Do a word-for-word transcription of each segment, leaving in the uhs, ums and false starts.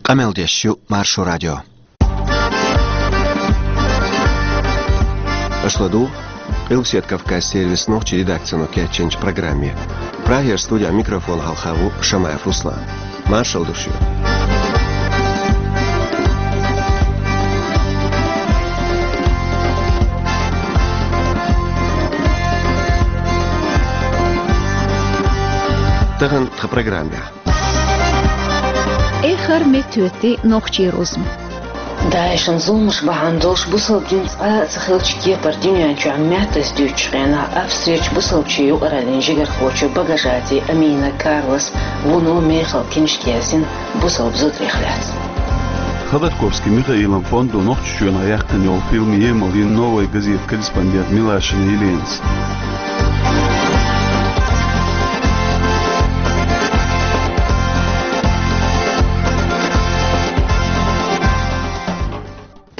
Къамел деш ю Маршо радио. Аша ладугӀу Къилбаседа Кавказ сервисан нохчийн редакцино кечйинчу программе. Прагера студехь микрофон хьалха ву Шамаев Руслан. Маршалла ду шуьга. Тахана тхан программехь. Эххар меттахӀоьттий нохчийн рузма. ДАИШ-ан зуламаш бахьана долуш бусалба дин цкъа а ца хиллачу кепара дуьнен чохь маьттаза дуьйцучу хенахь, Австрерчу бусалбачийн юкъараллин жигархочо Багажати Амина Карлас вуно мехала киншка яздина бусалба зударех лаьцна. Ходорковский Михаилан фондо Нохчийчоьнахь яьккхина йолу фильм емал йина «Новая газета» корреспондент Милашина Еленас.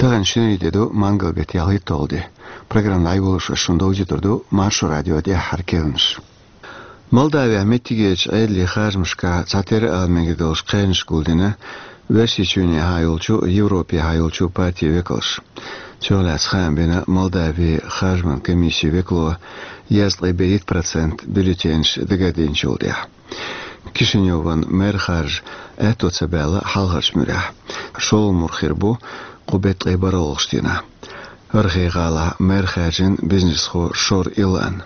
Тахана шинарин де ду, мангал беттан ялхитталгӀа де. Программа дӀайолош ас шуна довзуьйтур ду Маршо радион тӀаьххьара керланаш. Молдавехь меттигерчу Ӏедалийн харжамашкахь цхьатерра ала мегар долуш кхаьънаш гулдина Оьрсийчоьнехьа йолчу, Европехьа йолчу партийн векалша. Цунах лаьцна хаам бина Молдавин харжаман комиссин векало, дезткъе берхӀитта процент бюллетенаш дагардинчул тӀаьхьа. Кишиневан мэр харжа аьтто ца баьлла хьалхарчу муьрехь. ШолгӀа мур хир бу кху беттан ткъе бархӀалгӀачу дийнахь. ХӀара хи гӀалахь мэр хаьржина бизнесхо Шор Илан.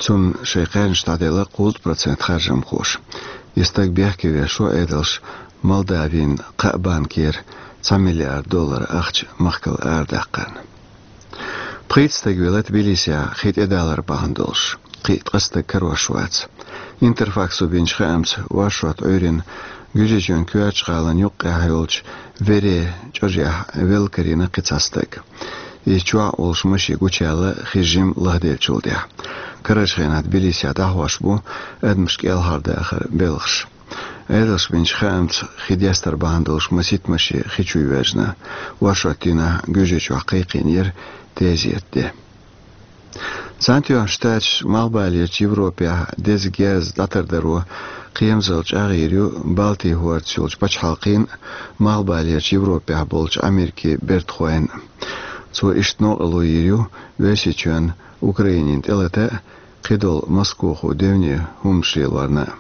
Цунна шайн кхаьънаш дӀаделла кхузткъа процент харжамхоша. И стаг бехке веш ву Ӏедалша Молдавин кхаа банкера цхьа миллиард доллар ахча махкал арадаккхарна. Пхийтта стаг велла Тбилисехь хи тӀедалар бахьана долуш. Кхин а ткъа стаг карош вац. Интерфаксо бинчу хаамца, оршот Ӏуьйрина Гуьжачоьнан коьртачу гӀалин юккъехь йолчу Вере чӀожехь велла карийна кхин цхьа стаг. Иза чохь а волуш машен гучуяьлла хи жимма лахделлачул тӀаьхьа. Карарчу хенахь Тбилисехь дӀахьош бу адамаш кӀелхьардахаран белхаш. Ӏедалша бинчу хаамца, хи дестар бахьана долуш масийтта машен хи чу йоьжна. Оршот дийнахь Гуьжачохь кхайкхийнера тезетан де. Цхьаьнатоьхначу Штаташа Малхбалерчу Европехь деза герз дӀатардаро кхерамзалла чӀагӀйийр ю Балтийн хӀордаца йолчу пачхьалкхийн а, Малхбалерчу Европехь болчу Америкин бертахойн а. Цо иштта новкъарло йийр ю Оьрсийчоьнна Украинина тӀелата а, кхидолу Москоху девне хӀуманаш лелорна а.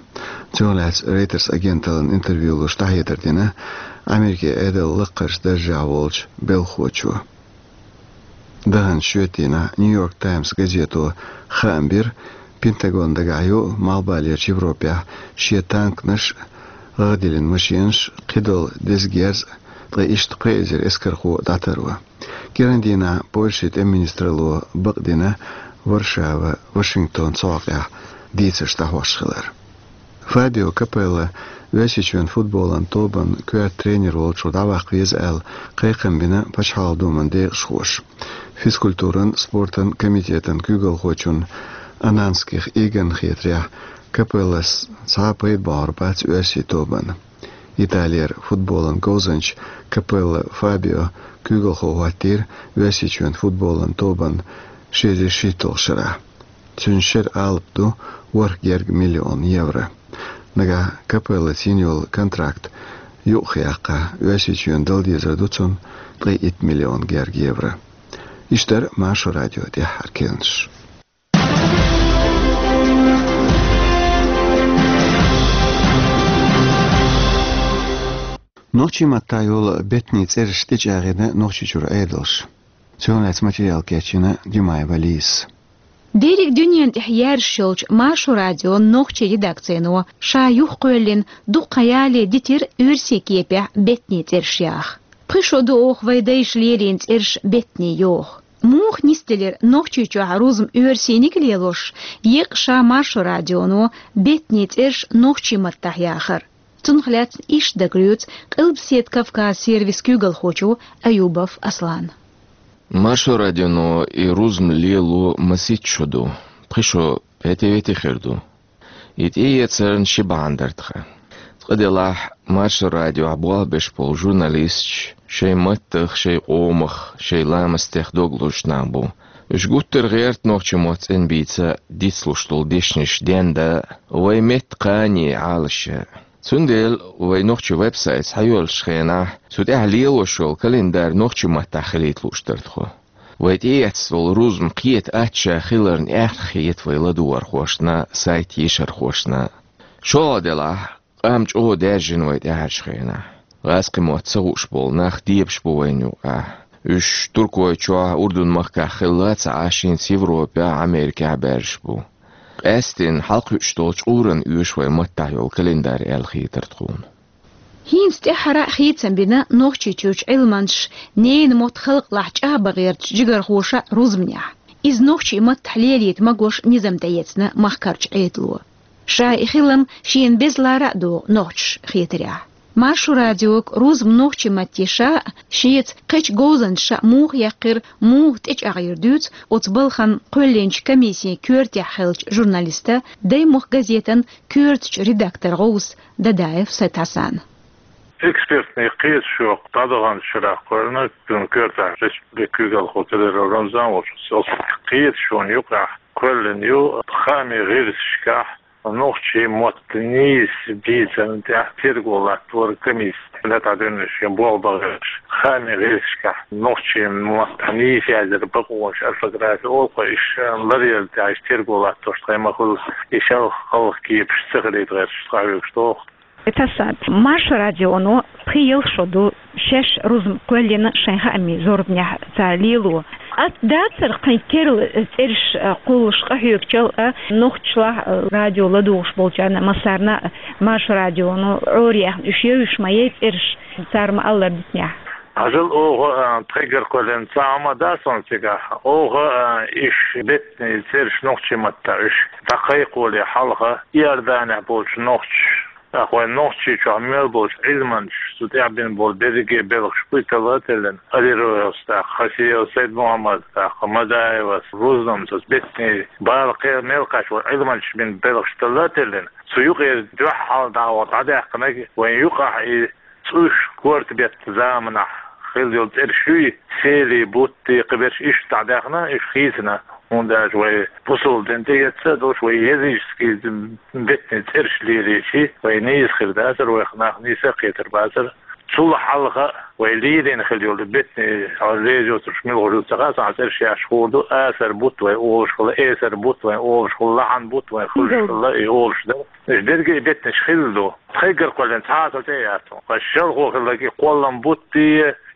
Цунах лаьцна Reuters агенталлина интервью луш дӀахьедар дина Америкин Ӏедалан лакхарчу даржехь волчу белхахочо. Даханчу шоьтан дийнахь Нью-Йорк Таймс газето хаам бира, Пентагон дагахь ю Малхбалерчу Европехь шен танканаш, гӀагӀ диллина машенаш, кхидолу деза герз а, ткъа иштта пхи эзар эскархо дӀатарво. КӀиран дийнахь Польшин тӀеман министралло бакъдина Варшава, Вашингтон цу хьокъехь дийцарш дӀахьош хилар. Фабио Капелла Оьрсийчоьнан футболан тобан коьрта тренер волчух дӀаваккха веза аьлла, кхайкхам бина Пачхьалкхан Думан декъашхоша. Физкультуран, спортан комитетан куьйгалхочун Ананских Игорна хетарехь, Капеллас цхьа а пайда бохьур бац оьрсийн тобанна. Италера футболан говзанча Капелла Фабио куьйгалхо хӀоттийра Оьрсийчоьнан футболан тобанна ши эзар шийтталгӀачу шарахь. Цуьнан шеран алапа ду ворхӀ герга миллион евро. Нагахь Капеллаца йина йолу контракт юкъахъяккха, Оьрсийчоьнна дала дезар ду цунна ткъе итт миллион герга евро. Иштта дара Маршо радион тӀаьххьара керланаш. Нохчийн маттахь йолу беттанийн цӀераш тӀечӀагӀдина Нохчийчуьра Ӏедалша. Цунах лаьцна материал кечйина Димаева Лизас. Дерриг дуьнен тӀехь яьржаш йолчу Маршо радион нохчийн редакцино ша юхакхоьллина дуккха ялале дитира оьрсийн кепехь беттанийн цӀераш яха. Пхи шо ду оха вайн дайша лелийна цӀераш беттанийн йоха. Муха нисделира Нохчийчохь рузма оьрсийниг а лелош, еккъа ша Маршо радионо беттанийн цӀераш нохчийн маттахь яхар? Цунах лаьцна иштта дагадоьцу Къилбаседа Кавказ сервисан куьйгалхочо Аюбов Аслана. Маршо радионо и рузма лело масийтта шо ду, пхи шо петевете хир ду. И тӀеэцарна ши бахьана дара тхан. Цкъа делахь, Маршо радиохь болх беш болу журналисташ шайн маттах, шайн къомах, шайн ламастех дог лозуш нах бу. Уьш гуттар а гӀерта нохчийн мотт цӀена бийца, дицлуш долу дешнаш денда, вайн меттан кхане Ӏалашъян. Цундела вай нохчийн веб-сайт схьайоьллачу хенахь, цу тӀехь лелош йолу календарь нохчийн маттахь хилийта лууш дара тхо. Вай тӀеэцна волу рузбан кхета аттачохь хиларна аьхна хета вай ладугӀархошна, сайт йийшархошна. ШолгӀа делахь, къам чӀогӀа даьржина вай тӀаьхьарчу хенахь. ГӀазкхийн мотт ца хууш болу нах дебаш бу вайна юкъахь. Уьш Туркойчохь, Урдун-махкахь хилла а ца Ӏаш, хӀинца Европехь, Америкехь баьржаш бу. Къаьсттина хьалакхуьуш долчу къуран оьшу вай маттахь йолу календарь аьлла хийтира тхуна. ХӀинца тӀаьххьара а хийцам бина Нохчийчуьрчу Ӏилманчаша ненан мотт халкъалахь чӀагӀбан гӀертачу жигархоша рузбанехь. Иза нохчийн маттахь лелийта магош низам тӀеэцна махкарчу Ӏедало. Ша и хилам шена беза лара а догӀу нохчаша хетарехь. Маршо радиога рузбан нохчийн матте ша а, шеца кхечу говзанчаша а муха яьккхира, муха тӀечӀагӀйира дуьйцу оцу балхана кхоьллинчу комиссин коьртехь хиллачу журналиста, Даймохк газетан коьртачу редактор гӀовса Дадаев Сайд-Хьасана. Экспертный кхеташо дӀадаханчу шарахь кхоьллина, цуьнан коьртехь республикан куьйгалхо Цыдыров Рамзан волчу, оцу кхеташонан юкъахь кхоьллина ю хаамийн гӀирсашкахь нохчийн мотт нийса бийцарна тӀехь терго латтор комиссия, лаьттахь дуьйна шен болх бан гӀерташ, хаамийн гӀирсашкахь нохчийн маттахь нийса яздинарг бакъонаш, орфографи олу-кх, иштта ларъярна тӀехь иштта терго латторш тхайн ма-хуьллу, и шалха-хьалха кепаш ца хилийта гӀерташ схьахьоьгуш доху. Эцасад, Маршо радионо пхи-ялх шо ду шаьш рузбан кхоьллина шайн хаамийн зорбанехь цара лело. Атта дацара кхин керла цӀераш а кхуллуш къахьоьгучул а, нохчашлахь а радио ладугӀуш болчарна массарна а Маршо радионо Ӏораяьхна уьш евзаш ма яй цӀераш, цара ма-аллара дитинехь? Хьажал, оха, а, тхайгара кхоьллина цхьа хӀума дац хьуна цигахь. Оха, а, уьш беттанийн цӀераш нохчийн маттахь уьш дӀакхайкхоле хьалха Иорданехь болчу нохчаша, тӀаккха вайн Нохчийчохь мел болчу Ӏилманчаша цу тӀехь бина болу берриге белхаш буй талла а теллина, Алироевс, тӀаккха Хасиевс Сайд-Мухьаммад, тӀаккха Мадаевс, рузбанца беттанийн бала кхел мел кхаьчна волу Ӏилманчаша бина белхаш талла а теллина, цу юкъера дуьххьал дӀа а вахана дӀадаьккхинарг вайн юкъахь и цӀуш корта беттан заманахь хилла йолу цӀераш юй, Сели, Бутти, кхиберш, иштта дӀадаьхна, уьш хийцина. ХӀунда аьлча вай бусалба дин тӀеэцна а долуш, вай языческий беттанийн цӀераш лелийча, вай нийса хир дацара, вайх нах нийса а кхетар бацара. Цул хьалха вай лелийна хилла йолу беттанийн, хьо леза йоцурш мила гӀур ю ца хаьа, цхьа цӀераш яьхьаш хуур ду, асар бутт вай олуш хилла, эсар бутт вай олуш хилла, лахьан бутт вай хуьлуш хилла, и олуш дара. Уьш дерриге а беттанаш хилла ду. Тхайгара кхоьллина цхьа а ца тӀеэцна. Ткъа шалхо хилла и кхоллам бутт,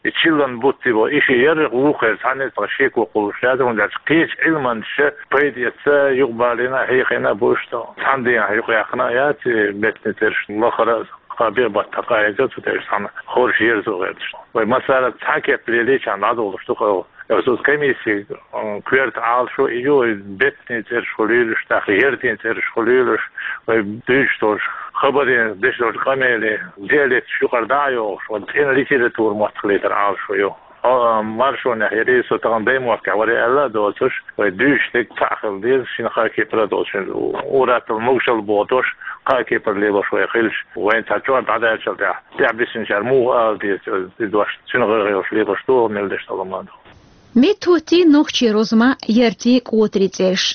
и чиллан бутт бу. И ши яррах вукхерца цхьаьна а ца шеко кхуллуш яц, хӀунда аьлча кхечу Ӏилманчаша пайда эцна, юкъабалийна а, хьехийна а бу иштта. Цхьана дийнахь юкъаяьккхина а яц беттанийн цӀераш лахара а, кхаа беттан къахьега цу тӀе уьш цхьаьна хорша ерзо гӀерташ. Вай массара а цхьа кеп лелийча дӀадолуш ду-кх. Оцу комиссин, м, коьрта Ӏалашо и ю, беттанийн цӀераш хуьлуьйлуш, тӀаккха яртийн цӀераш хуьлуьйлуш, вай дуьйцуш долчу хабарийн, деш долчу къамелан диалекташ юкъара дӀа а йохуш, вайн цӀена литература мотт хилийтар Ӏалашо ю. Хьо, а, Маршонехь ярий, со тахана Даймохкехь варий аьлла а доцуш, вай дуьйцуш дерг цхьаъ хила деза, шина-кхаа кепара а долуш, ур-атталла могушалла бохуш, кхаа кепара лелош вай хилча, вайна цхьа чӀор дӀадаьллачул тӀехь, тӀехь бисинчара муха ала деза, и дош, цуьнан гӀайгӀа йолуш лелош догӀу, мел деш талламан ду. МеттахӀоттий нохчийн рузбан яртийн, кӀотарийн цӀераш,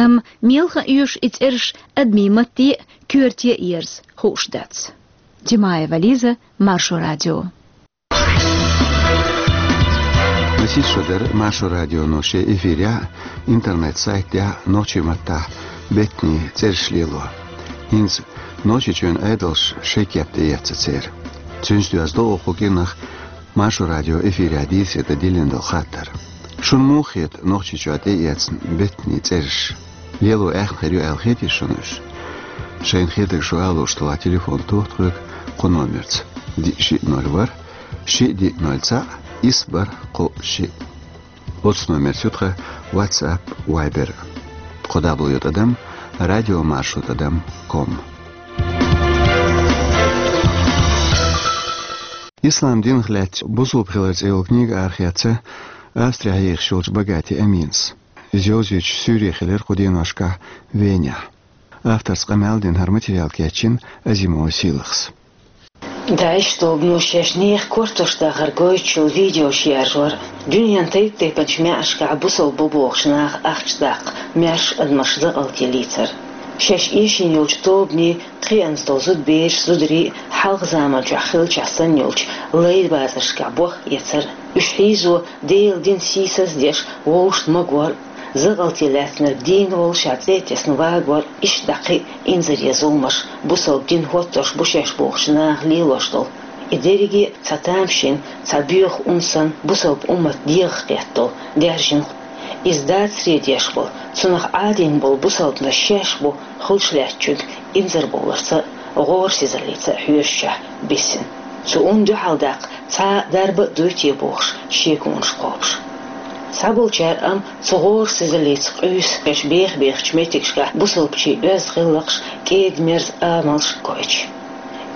амма мел хан оьшу и цӀераш адамийн матте а, коьрте а ерза, хууш дац. Димаева Лиза, Маршо радио. Масех шо дара Маршо радионо шен эфирехь а, интернет-сайтехь а нохчийн маттахь беттанийн цӀераш лело. ХӀинца Нохчийчоьнан Ӏедалша шайн кеп тӀеэцна церан. Цуьнца доьзна до оха кху кӀиранах Маршо радион эфирехь дийцаре дан диллина долу хаттар. Шуна муха хета Нохчийчохь тӀеэцна беттанийн цӀераш? Лело аьхна хир ю аьлла хетий шуна уьш? Шайна хетарг шу алуш тулахь телефон тоха тхоьга кху номерца: диъ шиъ ноль ворхӀ, шиъ диъ ноль цхьаъ, исс бархӀ кхоъ шиъ. Оцу номерца ю тхан WhatsApp, Viber. Кхо дабл-ю тӀадам радиомаршо тӀадам ком. «Ислам динах лаьцна бусулба хилар» цӀе йолу книга арахецна Австрехь йийхаш йолчу Багати Аминас. Иза йовзуьйтуш суьйре хилира кху деношкахь Венехь. Авторца къамел дина хӀара материал кечйина Азимова Сийлахьас. ДАИШ тобано шаьш нехан кортош дахар гойтучул видеош яржор, дуьненан тайп-тайпанчу маьӀаршкахь бусалба бу бохучу наха ахча даккха, маьрша адамаш закъалтеллийцар. Шаьш эшийна йолчу тобанийн кхианца долу зудабераш, зударий хьалха заманчохь хиллачохь санна йолчу лай базаршкахь бохъяцар, уьш хьийзо Делан динан сийсаз а деш вовшашна магор, закъалте лаьцнарг дийна волу ша цӀе а тесна вагор, иштта дӀа кхин а инзаре зуламаш бусалба дин хӀоттош бу шаьш бохучу наха лелош долу. И дерриге а цхьа тамашийна, цхьа боьха ун санна бусалба уммат дегӀах кхетта долу, даьржина. Иза дацаре деш болу, цунах Ӏадийна болу бусалбанаш шаьш бу хуьлуш лаьттачуьнга инзарбовларца а, гӀорасизаллица а хьоьжучохь биссина. Цу унна дуьхьал даккха цхьа а дарба а дуй те бохуш, шеконаш кхобуш. Цхьаболчара амма цу гӀорасизаллица къуьйсу, шаьш беха-бехачу меттигашкахь бусалбачийн оьзда гӀиллакхаш, кӀеда-мерза амалш гойтуш.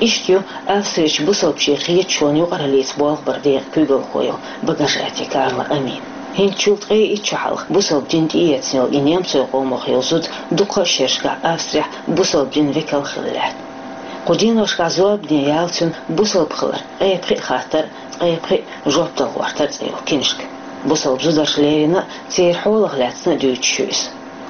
Иштта ю Австрерчу бусалбачийн кхеташонан юкъараллица болх баран декъан куьйгалхо йолу Багажати Карла Амин. ХӀинцачул ткъе итт шо хьалха бусалба дин тӀеэцна йолу и немцойн къомах йолу зуда дукха а шерашкахь Австрехь бусалба динан векал хилла лаьтта. Кху деношкахь зорбане яьлла цуьнан «Бусалба хилар: ткъе пхиъ хаттар, ткъе пхиъ жоп дала гӀортар» цӀе йолу киншка. Бусалба зударша леррина а, церан хьолах лаьцна а дуьйцуш ю иза.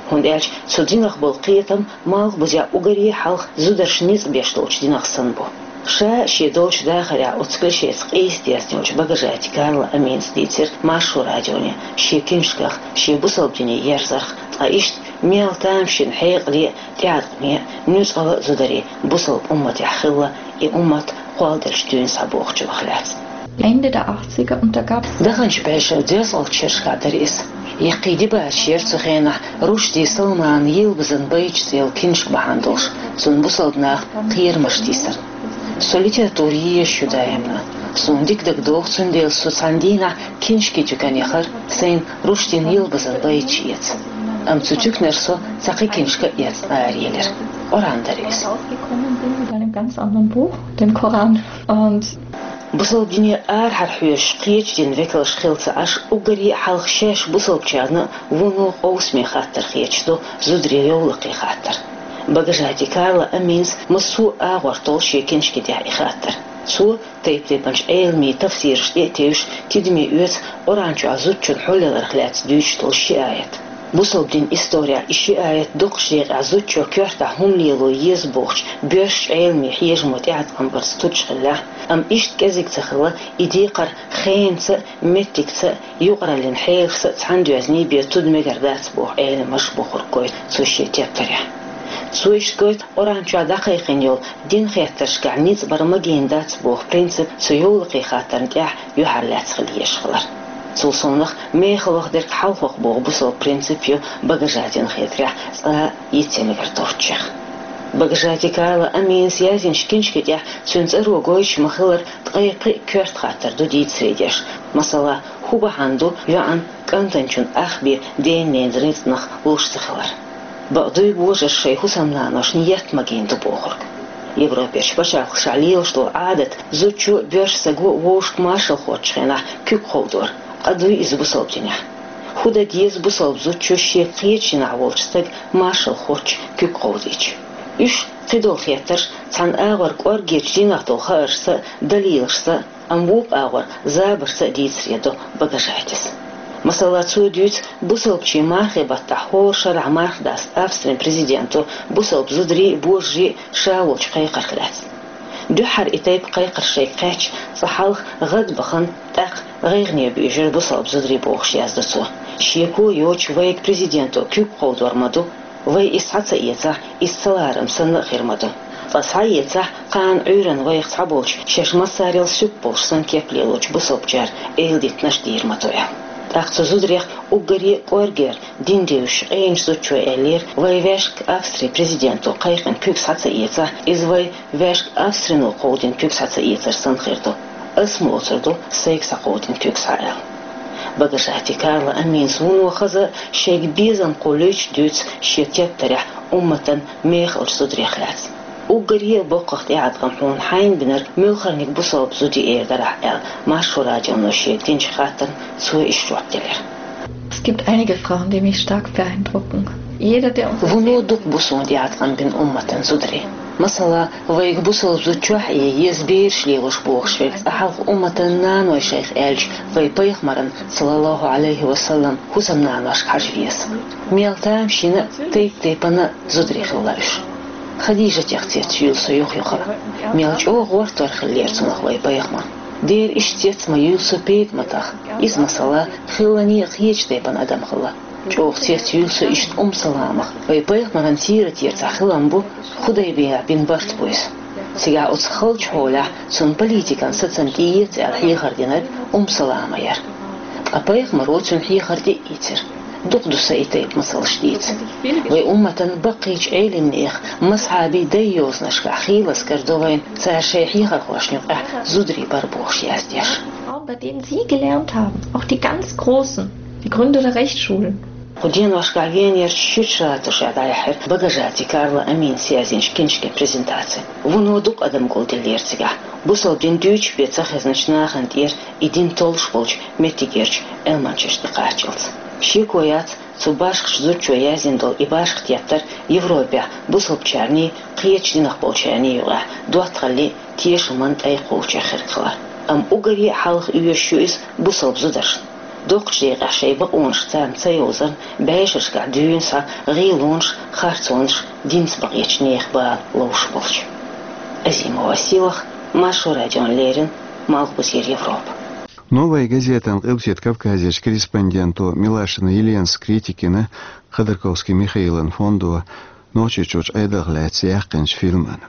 ХӀунда аьлча цу динах болу кхетам малхбузехь уггаре а хьалха зударша ницкъ беш долчу динах санна бу. Ша шен долчу дахарехь оцу клишеца къийса дезна йолчу Багажати Карла Аминас дийцира Маршо радионе шен киншках, шен бусалба дине ерзарх, ткъа иштта мел тамашийна хьекъале а, тӀеӀаткъаме а, нуьцкъала а зударий бусалба умматехь хилла, и уммат кхолладелча дуьйна схьабохучунах лаьцна. Ende der achtziger und da gab es Даханчу бӀешеран дезткъалгӀачу шерашкахь дара иза. Яккхий дибараш яра цу хенахь Рушди Салманан «Йилбазан байташ» цӀе йолу киншка бахьана долуш, цунна бусалба наха кхерамаш тийсар. Со литература езаш ю даимна. Суна дика дагадогӀу, цундела со цхьана дийнахь киншкийн туькана яхара, сайна Руштин «Йилбазан байташ» эца. Амма цу туьканара со цхьа кхин киншка а эцна араелира. Къуръан дара иза. Rausgekommen bin mit einem ganz anderen Buch, dem Koran. Und Бусалба дине арахьара хьоьжуш кхечу динан векалш хилла ца Ӏаш, уггаре а хьалха шаьш бусалбачарна вуно къовсаме хаттар хеташ ду зударийн йовлакхийн хаттар. Багажати Карла Аминас массо а агӀор толлу шен киншки тӀехь и хаттар. Цо тайп-тайпанчу Ӏеламийн тафсираш тӀе а тевжаш, тидаме оьцу Къуръан чохь зудчун хьулъяларх лаьцна дуьйцуш долу ши аят. Бусалба динан исторехь и ши аят дукхачу декъехь зудчо коьртахь хӀума лело еза бохучу боьршачу Ӏеламийн хьежамо тӀеӀаткъам барца туташ хиллехь, амма иштта кӀезиг ца хилла, и декхар хенаца а, меттигца а, юкъараллин хьелашца а цхьаьна доьзний бен туда мегар дац боху Ӏеламаша бохург гойту цо шен тептарехь. Цо иштта гойту Къуръан чохь дӀакхайкхийна йолу динан хеттаршкахь ницкъ бар магийна дац боху принцип цу йовлакхийн хаттарна тӀехь юьхьарлаьцна хила езаш хилар. Цул совнаха, мехала ваха дерг хьалхох боху бусалба принцип ю Багажатина хетарехь цкъа а йиц ян мегар доцучех. Багажати Карла Аминас яздинчу киншки тӀехь цуьнан цӀаро гойтуш ма-хиллара ткъе пхиъ коьрта хаттар ду дийцаре деш. Масала, хӀун бахьана ду йоӀан кӀантанчун ах бен ден-ненан рицкъанах луш ца хилар? Бакъ дуй божарша шайн хӀусамнаношна етт магийна ду бохург? Европерчу пачхьалкхашкахь лелаш долу Ӏадат зудчо а, боьрша стаго а вовшашка маршалла хоттучу хенахь куьг кховдор, къа дуй иза бусалба динехь? ХӀун дан деза бусалба зудчо шен кхечу динехь волчу стага маршалла хоттуш куьг кховдийча? Уьш, кхидолу хеттарш, цхьана агӀор кӀорггерчу динах долу хааршца а, далилашца а, амма вукху агӀор забаршца а дийцаре до Багажатис. Масала, цо дуьйцу бусалбачийн мархийн баттахь хӀора шарахь марха даста Австрин президенто бусалба зударий а, божарий а ша волчу кхайкхарх лаьцна. Дуьххьара и тайпа кхайкхар шайга кхаьчча, цкъа хьалха гӀадбахана, тӀаккха гӀайгӀане буьйжира бусалба зударий бохуш яздо цо. Шеко йоцуш вайга президенто куьг кховдор ма ду, вай иза схьа ца эцахь, иза ца ларам санна а хир ма ду. Ткъа схьа а эцахь, кхана Ӏуьйранна вайх цхьаболчу шаьш массарел суьпа болуш санна кеп лелочу бусалбачара эладитанаш дийр ма ду аьлла. ТӀаккха цу зударех уггаре а кӀоргера, дин девзаш къеначу зудчо эллера, вай ваьшка Австрин президенто кхайкхина куьг схьа ца эцахь, иза вай ваьшка Австрино кховдийна куьг схьа ца эцар санна хир ду. Ас ма оцур ду сайга схьакховдийна куьг схьа аьлла. Багажати Карла Аминас вуно хаза а, шайга безам кхуллуьйтуш а дуьйцу шен тептарехь умматан мехалчу зударех лаьцна. Уггаре а боккхах тӀеӀаткъам хьуна хьайна бинарг муьлхарниг бусалба зуда ю эр дарахь аьлла, Маршо радионо шега динчу хаттарна цо иштта жоп делира. Es gibt einige Frauen, die mich stark beeindrucken. Jeder, der uns Вуно дукха бу суна тӀеӀаткъам бина умматан зударий. Масала, вайга бусалба зудчохь а еза бераш лелош бохуш верг цкъа хьалха умматан наной шайх аьлча, вай пайхамаран, саллаллаху Ӏалайхи ва саллам, хӀусамнаношка хьажа веза. Мел тамашийна а, тайп-тайпана а зударий хилла уьш. Хадижатех цецйуьйлу со юха-юха а. Мел чӀогӀа гӀортор хиллера цунах вай пайхамар. Дера иштта цец ма юьйлу со ПетӀаматах. Иза, масала, хиллане а кхечу тайпана адам хилла. ЧӀогӀа цецйуьйлу со иштта Умму Саламах. Вай пайхамаран сиратера цхьа хилам бу Худайбиях бина барт бу иза. Цигахь оцу халчу хьолехь цунна политикан сацам тӀеэца аьлла хьехар динарг Умму Салама яра. Ткъа пайхамаро цуьнан хьехар тӀе а ийцира. Дукха ду сан и тайпа масалш дийца. Вай умматан баккхийчу Ӏелимнех, мазхьабий дай йозанашкахь хийлаза карадо вайна цара шайн хьехархошна юкъахь зударий бара бохуш яздеш. Frauen, bei denen Sie gelernt haben, auch die ganz Großen, die Gründer der Rechtsschulen. Кху деношкахь Венерчу Швейцарехь дӀаяьхьира Багажати Карла Аминас язйинчу киншкин презентаци. Вуно дукха адам гулделлера цигахь. Бусалба дин дуьйцуш бен ца хезначу нахана тӀера и дин толлуш болчу меттигерчу Ӏилманчашна тӀекхаччалц. Шеко яц, цу башхачу зудчо язйина долу и башха теттар Европехь бусалбачарний, кхечу динах болчарний юкъахь доттагӀаллин, тешаман тӀай кхочуш хирг хилар. Амма уггаре а хьалха оьшуш ю иза бусалба зударшна. Доккхачу декъехь шайн бакъонаш царна ца йовзарна, бӀешерашкахь дуьйна схьа гӀийлонаш, харцонаш, динца бакъечу нехан бала ловш болчу. Азимова Силах, Маршо радиона леррина, Малхбузера Европа. «Новая газетан» Къилбаседа Кавказерчу корреспонденто Милашина Еленас критика йина Ходорковский Михаилан фондо Нохчийчуьрчу Ӏедалх лаьцна яьккхинчу фильман.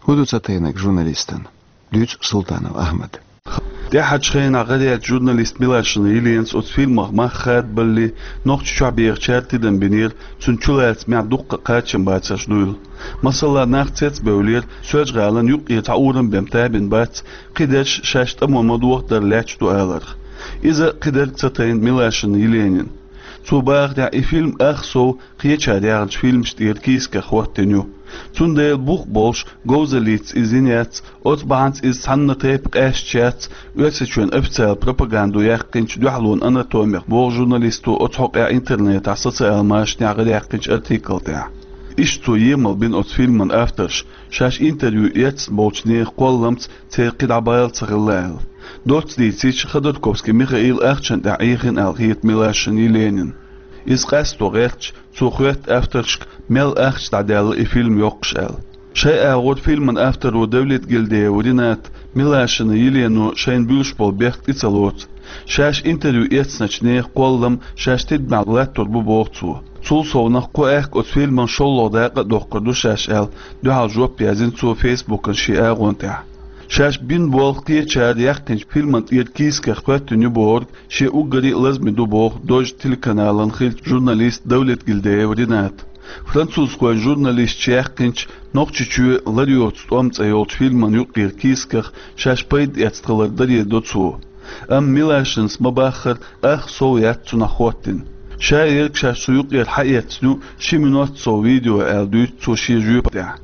ХӀун ду ца тайнарг журналистана? Дуьйцу Султанов Ахьмада. ТӀаьхьарчу хенахь гӀараяьллачу журналиста Милашина Еленас оцу фильмах мах хадабалале, Нохчийчохь бехачара тидам бинера, цуьнан чулацамехь дуккха а кхачам бацарш дуйла. Масала, нах цецбевллера, Соьлжа-ГӀалина юккъера цхьа урам бен табина бац, кхидерш шаьш тӀамо ма дохадар лаьтташ ду аларх. Иза кхидерг ца тайна Милашина Еленина. Цо бахарехь, и фильм ах сов кхечара яьхначу фильмаш тӀера кийсаках хӀоттийна ю. Цундела бух болуш, говзаллица иза йина яц, оцу бахьанца иза цхьанна тайпа къаьсташ яц Оьрсийчоьнан официалан пропагандо яьккхинчу дуьхьалонан анатомих, боху журналисто оцу хьокъехь интернетехь социал машанехь гӀараяьккхинчу артикл тӀехь. Иштта цо емал бина оцу фильман авторш, шаьш интервью эцна болчу нехан кхолламца церан кхидӀа бала ца хилла аьлла. Доцца дийцича, Ходорковский Михаил ахчанна тӀехь Ӏехийна аьлла хета Милашина Еленина. Иза къасто гӀерташ, цо хоьтту авторшка, мел ахча дӀадаьлла и фильм йоккхуш аьлла. Шайн агӀор фильман авторо Давлетгильдиев Ринат Милашина Елено шайна буьлуш болу бехк тӀе ца лоцу. Шаьш интервью эцначу нехан кхоллам шаьш тидамехь латтор бу, боху цо. Цул совнаха кху аьхка оцу фильман шолгӀа дакъа а доккхур ду шаьш аьлла, дуьхьал жоп яздина цо Фейсбукан шен агӀон тӀехь. Шаьш бина болх кхечара яьккхинчу фильман тӀера кийсаках хӀоьттина ю бохург шен уггаре а лазаме ду боху Дождь телеканалан хиллачу журналиста Давлетгильдиев Ринат. Французхойн журналисташа яьккхинчу «Нохчийчоь лар йоцу тӀом» цӀе йолчу фильман юккъера кийсаках шаьш пайда эцна хилар даре до цо. Амма Милашинас ма-баххара, ах сов яц цунах хӀоттийна. Ша ерг шаьш цу юккъера хьаэцна ю ши минот сов видео аьлла дуьйцу цо шен жоьпа тӀехь.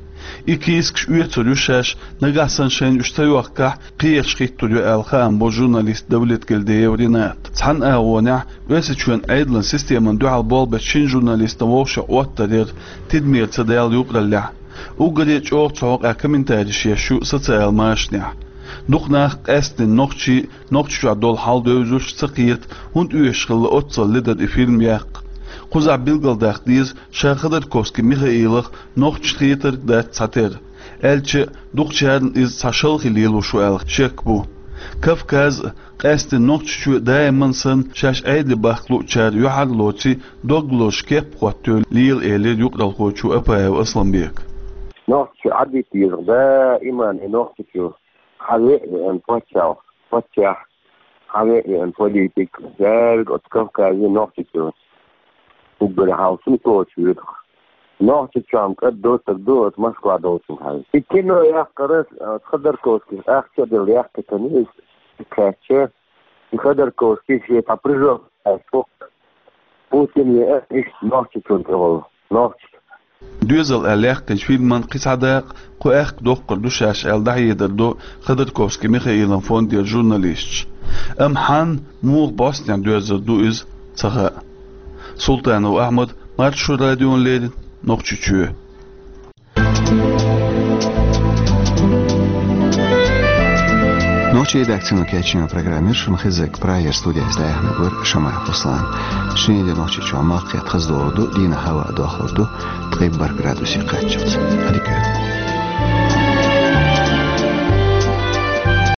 И кийсакаш оьцур ю шаьш, нагахь санна шайна уьш ца йохкахь, кхераш хӀиттор ю аьлла хаам бо журналиста Давлетгильдиев Ринатан. Цхьана агӀонехь Оьрсийчоьнан Ӏедалан системана дуьхьал болх бечу шина журналистана вовшах Ӏоттар яра тидамера ца даьлла юкъараллехь. Уггаре а чӀогӀа цу хьокъехь комментареш еш ю социал машанехь. Дукха нах къаьсттина нохчий, Нохчийчохь долу хьал девзаш ца кхета, хӀунда оьшуш хилла оццул ледара и фильм яккха. Кхузахь билгалдаккха деза, ша Ходорковский Михаилах нохчашна хетарг дац цхьатерра. Аьлча, дукхачарна иза цхьа шалхе лелош ву аьлла шек бу. Кавказ а, къаьсттина Нохчийчоь а даиман санна шаьш Ӏедале бахка луучара юьхьарлоций, дог лозуш кеп а хӀоттайой лела, элира юкъаралхочо Апаев Асламбека. Нохчийчоь Ӏадитта еза даиман и Нохчийчоь. Хьан веа веана паччахь, паччахь, хьан веа веана политик, дерриг оцу Кавказе Нохчийчоь. Уггаре хьалха цунна кхочуш вуьту. Нохчийчохь-м кӀад доцург ду оцу Москва долчунна хьаьжна. И кино яккхар, оцу Ходорковскийс ахча а делла яьккхина иза кхаьчча, и Ходорковский шен цхьа прыжок аьлла, Путин веа иштта Нохчийчунна тӀехула. Нохчий. Доьзал аьлла яьккхинчу фильман кхин цхьа дакъа кху аьхка доккхур ду шаьш аьлла дӀахьедар до Ходорковский Михаилан фондера журналисташа. Амма хьанна, муха бӀостанехьа доьрзур ду иза, ца хаьа. Султанов Ахьмад, Маршо радиона леррина, Нохчийчоь. Редакцино кечйина программа яр шуна хезарг. Прагера студиехь дӀаяхьнарг вара Шамаев Руслан. Шинарин де Нохчийчохь малх кхетта хаза догӀур ду, дийнахь хӀаваъ дохлур ду ткъе бархӀ градусе кхаччалц. Дика.